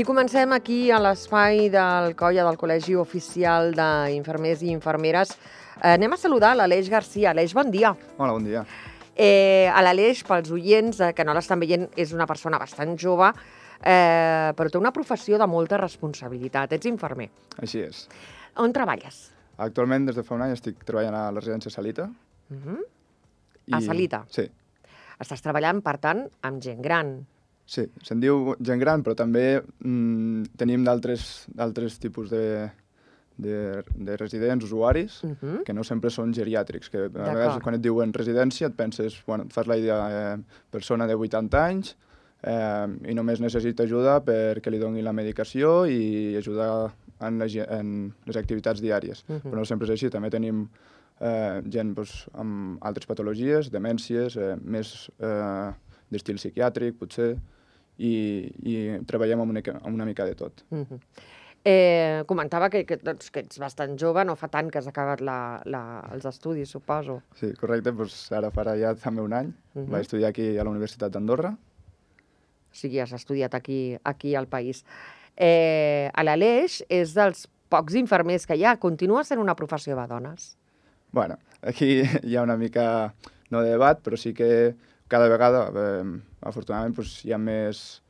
I comencem aquí a l'espai del Colla del Col·legi Oficial d'Infermers i Infermeres. Anem a saludar l'Aleix Garcia. Aleix, bon dia. Hola, bon dia. A l'Aleix, pels oients que no l'estan veient, és una persona bastant jove, però té una professió de molta responsabilitat. Ets infermer. Així és. On treballes? Actualment, des de fa un any, estic treballant a la residència Salita. A Salita? Sí. Estàs treballant, per tant, amb gent gran. Sí, se'n diu gent gran, però també tenim d'altres tipus de residents, usuaris, que no sempre són geriàtrics, que a vegades quan et diuen residència et penses, bueno, et fas la idea persona de 80 anys i només necessita ajuda perquè li donin la medicació i ajudar en les activitats diàries. Però no sempre és així, també tenim gent amb altres patologies, demències, més d'estil psiquiàtric, potser, i treballem amb una mica de tot. Comentava que ets bastant jove, no fa tant que has acabat els estudis, suposo. Sí, correcte, ara farà ja també un any. Vaig estudiar aquí a la Universitat d'Andorra. O sigui, has estudiat aquí al país. L'Aleix és dels pocs infermers que hi ha. Continua sent una professió de dones? Bueno, aquí hi ha una mica, no de debat, però sí que cada vegada, afortunadament, hi ha més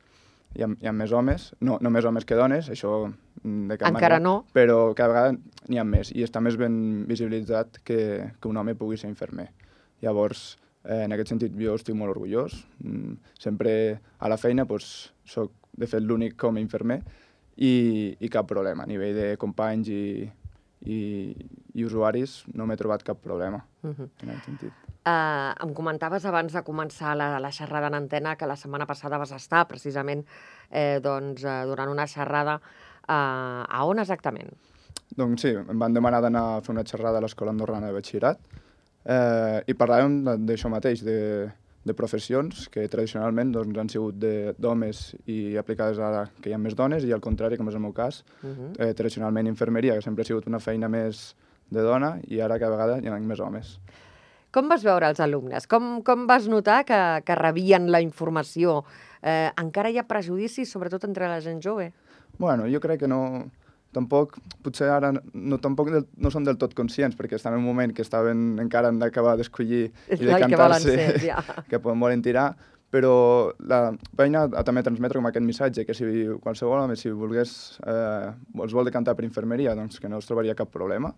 homes, no més homes que dones, això de cap manera. Encara no. Però cada vegada n'hi ha més, i està més ben visibilitzat que un home pugui ser infermer. Llavors, en aquest sentit, jo estic molt orgullós. Sempre a la feina soc, de fet, l'únic home infermer i cap problema. A nivell de companys i usuaris no m'he trobat cap problema en aquest sentit. Em comentaves abans de començar la xerrada en antena que la setmana passada vas estar precisament durant una xerrada. A on exactament? Doncs sí, em van demanar d'anar a fer una xerrada a l'Escola Andorrana de Batxillerat i parlàvem d'això mateix, de professions que tradicionalment han sigut d'homes i aplicades ara que hi ha més dones, i al contrari, com és el meu cas, tradicionalment infermeria, que sempre ha sigut una feina més de dona, i ara cada vegada hi ha més homes. Com vas veure els alumnes? Com vas notar que rebien la informació? Encara hi ha prejudicis, sobretot entre la gent jove? Bueno, jo crec que no... Tampoc, potser ara tampoc no són del tot conscients, perquè estan en un moment que estaven encara han d'acabar d'escollir i de cantar-se que volen tirar, però vaig anar a també transmetre com aquest missatge, que si qualsevol home, si els vol decantar per infermeria, doncs que no es trobaria cap problema,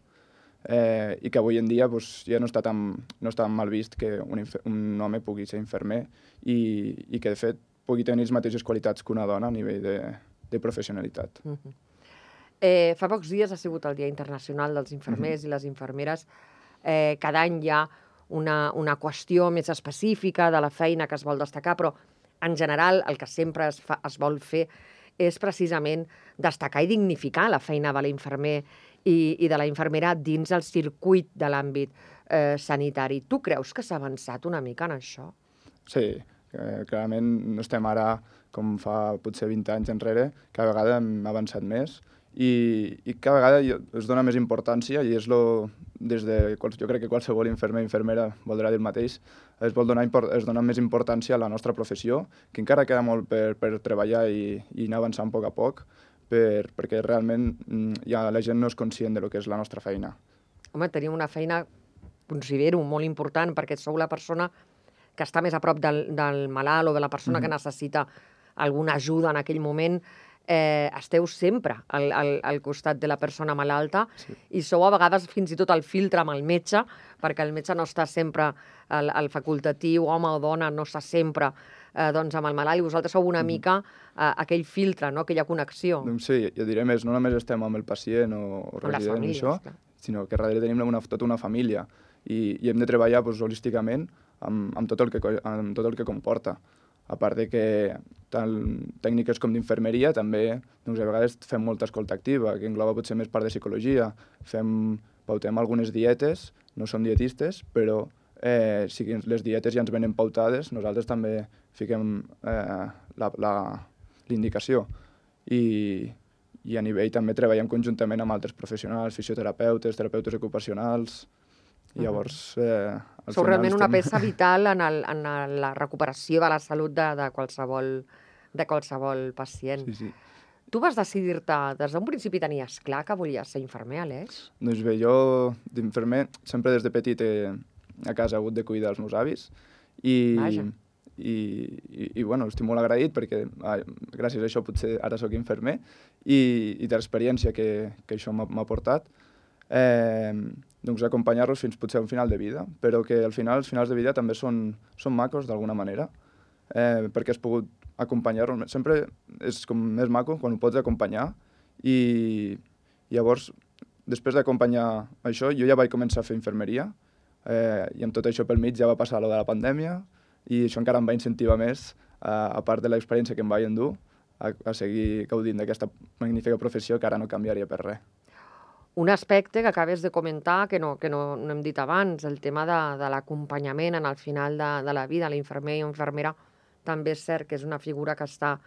i que avui en dia ja no està tan mal vist que un home pugui ser infermer i que, de fet, pugui tenir les mateixes qualitats que una dona a nivell de professionalitat. Fa pocs dies ha sigut el Dia Internacional dels Infermers i les Infermeres. Cada any hi ha una qüestió més específica de la feina que es vol destacar, però en general el que sempre es vol fer és precisament destacar i dignificar la feina de l'infermer i de la infermera dins el circuit de l'àmbit sanitari. Tu creus que s'ha avançat una mica en això? Sí, clarament no estem ara com fa potser 20 anys enrere, cada vegada hem avançat més i cada vegada es dona més importància, i jo crec que qualsevol infermer o infermera voldrà dir el mateix, es dona més importància a la nostra professió, que encara queda molt per treballar i anar avançant a poc, perquè realment la gent no és conscient del que és la nostra feina. Home, teniu una feina, considero, molt important, perquè sou la persona que està més a prop del malalt o de la persona que necessita alguna ajuda en aquell moment. Esteu sempre al costat de la persona malalta i sou a vegades fins i tot el filtre amb el metge, perquè el metge no està sempre, el facultatiu, home o dona, no està sempre amb el malalt, i vosaltres sou una mica aquell filtre, aquella connexió. Doncs sí, jo diré més, no només estem amb el pacient o resident, sinó que darrere tenim tota una família i hem de treballar holísticament amb tot el que comporta. A part de que tant tècniques com d'infermeria també a vegades fem molta escolta activa, que engloba potser més part de psicologia. Pautem algunes dietes, no som dietistes, però si les dietes ja ens venen pautades, nosaltres també fiquem l'indicació. I a nivell també treballem conjuntament amb altres professionals, fisioterapeutes, terapeutes ocupacionals. Llavors, sou realment una peça vital en la recuperació de la salut de qualsevol pacient. Sí. tu vas decidir-te, des d'un principi tenies clar que volies ser infermer, Aleix? Doncs bé, jo d'infermer sempre des de petit a casa he hagut de cuidar els meus avis Vaja. i bueno, estic molt agraït perquè gràcies a això potser ara sóc infermer i de l'experiència que això m'ha portat, doncs acompanyar-los fins potser a un final de vida, però que al final els finals de vida també són macos d'alguna manera, perquè has pogut acompanyar-los. Sempre és com més maco quan ho pots acompanyar i llavors, després d'acompanyar això, jo ja vaig començar a fer infermeria i amb tot això pel mig ja va passar lo de la pandèmia i això encara em va incentivar més, a part de l'experiència que em vaig endur, a seguir gaudint d'aquesta magnífica professió que ara no canviaria per res. Un aspecte que acabes de comentar, que no hem dit abans, el tema de l'acompanyament en el final de la vida, l'infermer i infermera, també és cert que és una figura que està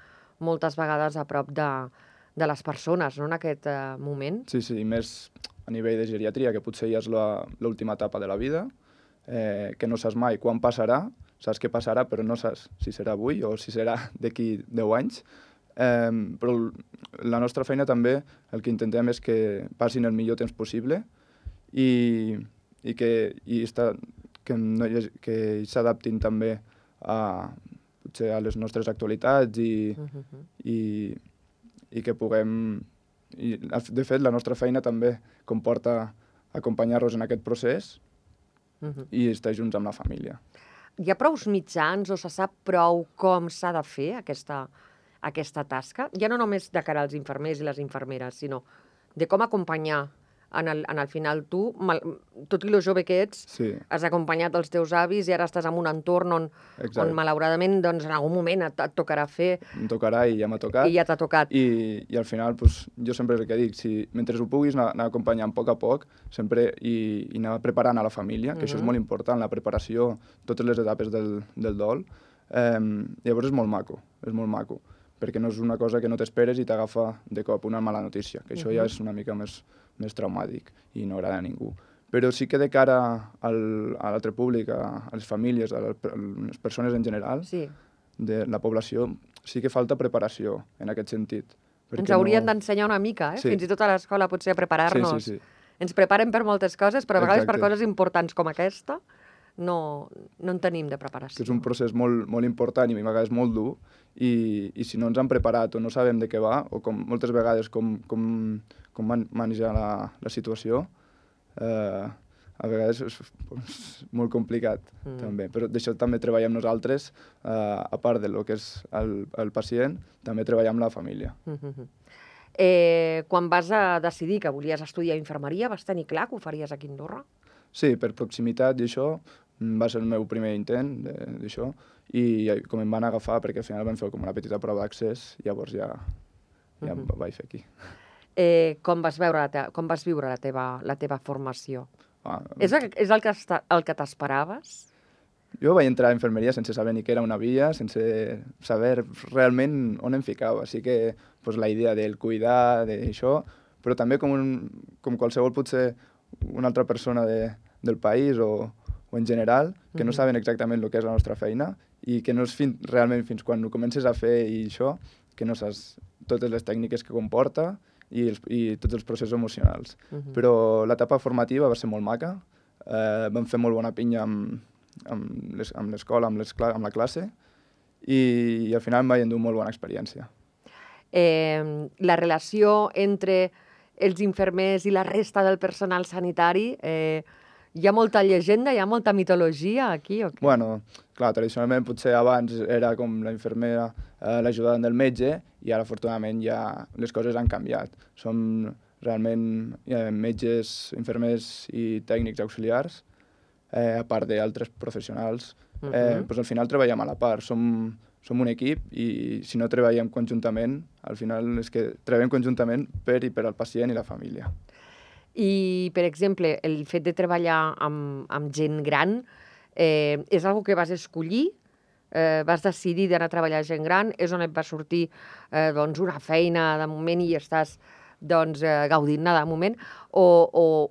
moltes vegades a prop de les persones, no?, en aquest moment. Sí, i més a nivell de geriatria, que potser ja és l'última etapa de la vida, que no saps mai quan passarà, saps què passarà, però no saps si serà avui o si serà d'aquí 10 anys. Però la nostra feina també, el que intentem és que passin el millor temps possible i que s'adaptin també potser a les nostres actualitats i que puguem... De fet, la nostra feina també comporta acompanyar-los en aquest procés i estar junts amb la família. Hi ha prous mitjans o se sap prou com s'ha de fer aquesta tasca? Ja no només de cara als infermers i les infermeres, sinó de com acompanyar en el final tu, tot i lo jove que ets, has acompanyat els teus avis i ara estàs en un entorn on malauradament en algun moment et tocarà fer... Em tocarà i ja m'ha tocat. I ja t'ha tocat. I al final, jo sempre és el que dic, mentre ho puguis anar acompanyant a poc sempre i anar preparant a la família, que això és molt important, la preparació, totes les etapes del dol, llavors és molt maco, perquè no és una cosa que no t'esperes i t'agafa de cop una mala notícia, que això ja és una mica més traumàtic i no agrada a ningú. Però sí que de cara a l'altre públic, a les famílies, a les persones en general, de la població, sí que falta preparació en aquest sentit. Ens haurien d'ensenyar una mica, fins i tot a l'escola potser a preparar-nos. Sí. Ens preparen per moltes coses, però a vegades per coses importants com aquesta no en tenim de preparació. És un procés molt important i a vegades molt dur i si no ens han preparat o no sabem de què va, o moltes vegades com manejar la situació, a vegades és molt complicat també. Però d'això també treballem nosaltres, a part del que és el pacient, també treballem amb la família. Quan vas a decidir que volies estudiar infermeria, vas tenir clar que ho faries aquí a Andorra? Sí, per proximitat i això, va ser el meu primer intent d'això, i com em van agafar, perquè al final van fer com una petita prova d'accés, llavors ja em vaig fer aquí. Com vas viure la teva formació? És el que t'esperaves? Jo vaig entrar a infermeria sense saber ni què era una via, sense saber realment on em ficava. Així que la idea del cuidar, d'això, però també com qualsevol potser una altra persona del país o en general, que no saben exactament el que és la nostra feina i que no és realment fins quan ho comences a fer i això, que no saps totes les tècniques que comporta i tots els processos emocionals. Però l'etapa formativa va ser molt maca, vam fer molt bona pinya amb l'escola, amb la classe, i al final em vaig endur molt bona experiència. La relació entre els infermers i la resta del personal sanitari, hi ha molta llegenda, hi ha molta mitologia aquí o què? Bueno, clar, tradicionalment potser abans era com la infermera l'ajudant del metge i ara afortunadament ja les coses han canviat. Som realment metges, infermers i tècnics auxiliars, a part d'altres professionals. Al final treballem a la part, som un equip i si no treballem conjuntament, al final és que treballem conjuntament per i per al pacient i la família. I, per exemple, el fet de treballar amb gent gran és una cosa que vas escollir? Vas decidir d'anar a treballar amb gent gran? És on et va sortir una feina de moment i estàs gaudint-ne de moment? O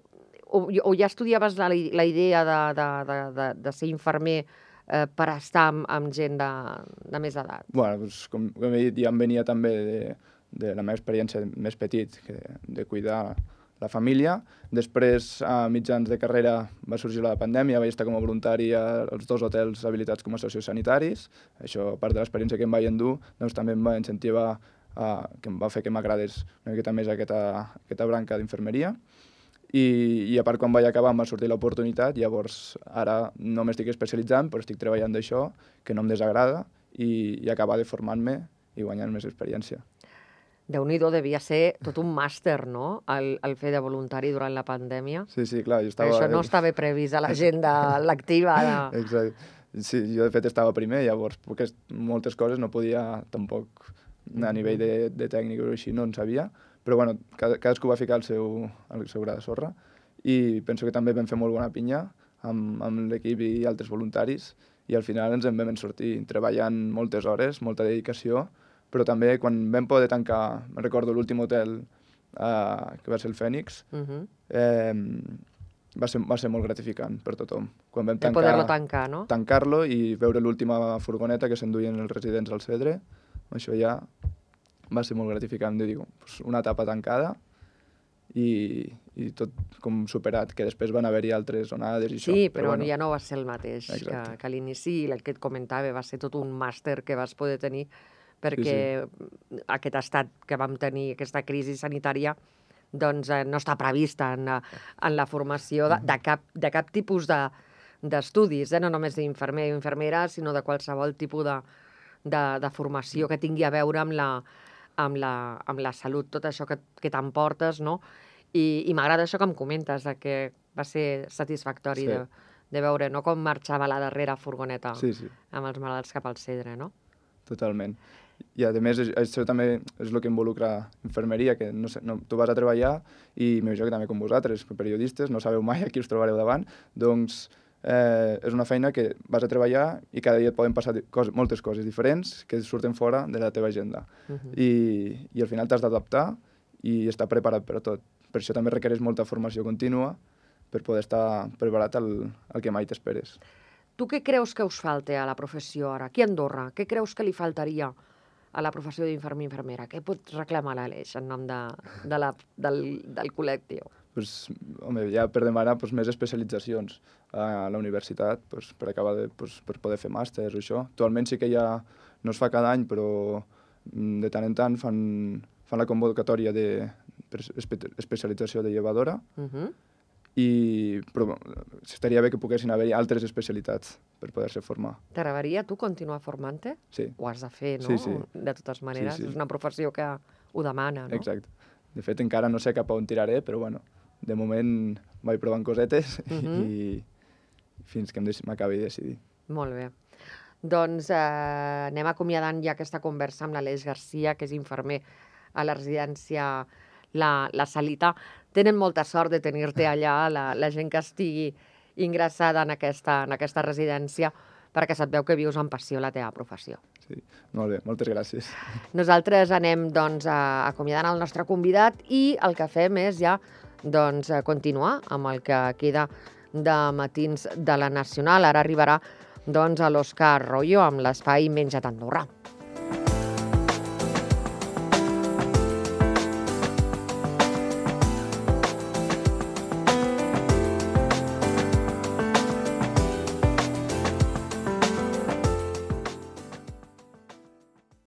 ja estudiaves la idea de ser infermer per estar amb gent de més edat? Bueno, com he dit, ja em venia també de la meva experiència més petit, de cuidar la família. Després, a mitjans de carrera, va sorgir la pandèmia, vaig estar com a voluntari als 2 hotels habilitats com a sociosanitaris. Això, a part de l'experiència que em vaig endur, doncs també em va incentivar, que em va fer que m'agradés una miqueta més aquesta branca d'infermeria. I a part, quan vaig acabar, em va sortir l'oportunitat. Llavors, ara no m'estic especialitzant, però estic treballant d'això, que no em desagrada, i acabar de formar-me i guanyar més experiència. Déu-n'hi-do, devia ser tot un màster, no?, el fer de voluntari durant la pandèmia. Sí, clar, jo estava... Això no estava previst a l'agenda lectiva. Exacte. Sí, jo de fet estava primer, llavors moltes coses no podia tampoc, a nivell de tècnic o així, no en sabia, però bueno, cadascú va ficar el seu gra de sorra, i penso que també vam fer molt bona pinya amb l'equip i altres voluntaris, i al final ens en vam sortir treballant moltes hores, molta dedicació, però també quan vam poder tancar, me'n recordo l'últim hotel, que va ser el Fènix, va ser molt gratificant per tothom. Quan vam poder-lo tancar, no? Tancar-lo i veure l'última furgoneta que s'enduien els residents al Cedre, això ja va ser molt gratificant, de dir, una etapa tancada i tot com superat, que després van haver-hi altres onades i això. Sí, però bueno, ja no va ser el mateix que a l'inici, el que et comentava, va ser tot un màster que vas poder tenir, perquè aquest estat que vam tenir, aquesta crisi sanitària, doncs no està prevista en la formació de cap tipus d'estudis, no només d'infermer o infermera, sinó de qualsevol tipus de formació que tingui a veure amb la salut, tot això que t'emportes, no? I m'agrada això que em comentes, que va ser satisfactori de veure com marxava la darrera furgoneta amb els malalts cap al Cedre, no? Totalment. I a més, això també és el que involucra infermeria, que tu vas a treballar i m'imagino que també com vosaltres, periodistes, no sabeu mai a qui us trobareu davant, doncs és una feina que vas a treballar i cada dia et poden passar moltes coses diferents que surten fora de la teva agenda. I al final t'has d'adaptar i estar preparat per a tot. Per això també requereix molta formació contínua per poder estar preparat al que mai t'esperes. Tu què creus que us falta a la professió ara? Aquí a Andorra, què creus que li faltaria a la professió d'infermer i infermera? Què pot reclamar l'Aleix en nom del col·lectiu? Home, ja per demanar més especialitzacions a la universitat per acabar per poder fer màsters o això. Actualment sí que ja no es fa cada any, però de tant en tant fan la convocatòria d'especialització de llevadora, però estaria bé que poguessin haver-hi altres especialitats per poder-se formar. T'agradaria tu continuar formant-te? Sí. Ho has de fer, no? Sí. De totes maneres, és una professió que ho demana, no? Exacte. De fet, encara no sé cap on tiraré, però bueno, de moment vaig provant cosetes i fins que m'acabi de decidir. Molt bé. Doncs anem acomiadant ja aquesta conversa amb l'Aleix Garcia, que és infermer a la residència La Salita. Tenen molta sort de tenir-te allà, la gent que estigui ingressada en aquesta residència, perquè se't veu que vius amb passió la teva professió. Sí, molt bé, moltes gràcies. Nosaltres anem acomiadant el nostre convidat i el que fem és ja continuar amb el que queda de matins de la Nacional. Ara arribarà a l'Òscar Royo amb l'espai Menja't Andorra.